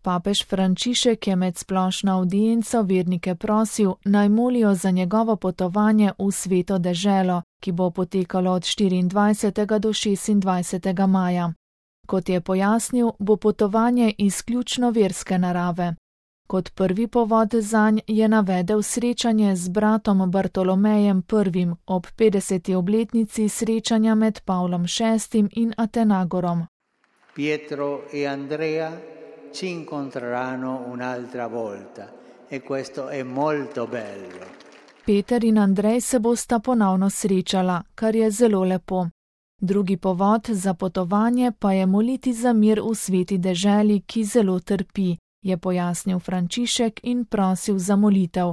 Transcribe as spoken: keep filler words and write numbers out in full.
Papež Frančišek je med splošno avdienco vernike prosil, naj molijo za njegovo potovanje v Sveto deželo, ki bo potekalo od štiriindvajsetega do šestindvajsetega maja. Kot je pojasnil, bo potovanje izključno verske narave. Kot prvi povod zanj je navedel srečanje z bratom Bartolomejem prvim ob petdeseti obletnici srečanja med Pavlom šestim in Atenagorom. Pietro e Andrea ci incontreranno un'altra volta e questo è molto bello. Peter in Andrej se bosta ponovno srečala, kar je zelo lepo. Drugi povod za potovanje pa je moliti za mir v sveti deželi, ki zelo trpi, je pojasnil Frančišek in prosil za molitev.